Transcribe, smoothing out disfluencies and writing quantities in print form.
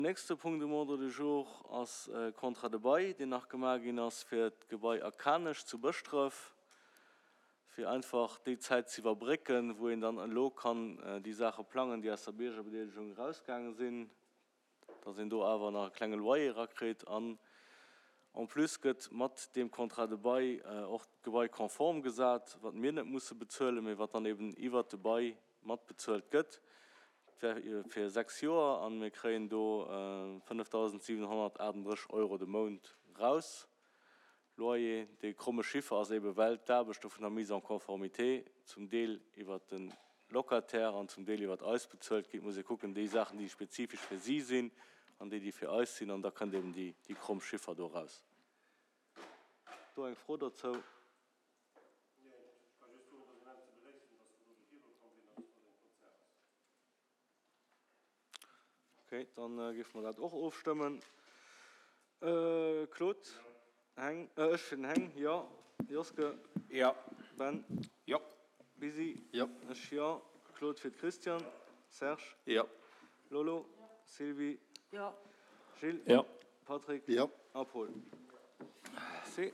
Nächste Punkt um Ordre du jour ass e Contrat de bail, deen nach gemaach ginn ass fir d'Gebai A Kanech zu Bëschdref, fir einfach déi Zäit ze iwwerbrécken, wou een dann elo kann déi Saache plangen, déi aus der Biergerbedeelegung erausgaange sinn, dass een do awer nach e klenge Loyer erakritt. An en plus gëtt mat deem Contrat de bail och d'Gebai konform gesat, wat mir net musse bezuelen, mee wat dann eben iwwert de Bail matbezuelt gëtt. Et wär fir 6 Joer an mir kréien do 5.738 Euro de Mount raus, Loyer. Dee kromme Chiffer ass eebe well d'Aarbechte vun der Mise en conformité zum Deel iwwert de Locataire an zum Deel iwwert eis bezuelt ginn. Et muss ee kucken, déi Saachen déi spezifesch fir si sinn an déi déi fir eis sinn an da kënnt eeben déi kromm Chiffer do raus. Do eng Fro dozou? Ok, dann géife mer dat och ofstëmmen. Claude, Heng, ech fir den Heng, jo. Joske? Jo. Ben? Jo. Bisi? Jo. Ech jo. Claude fir d'Christiane? Serge? Jo. Lolo? Sylvie? Jo. Gilles? Jo. Patrick? Jo. A Paul? Merci.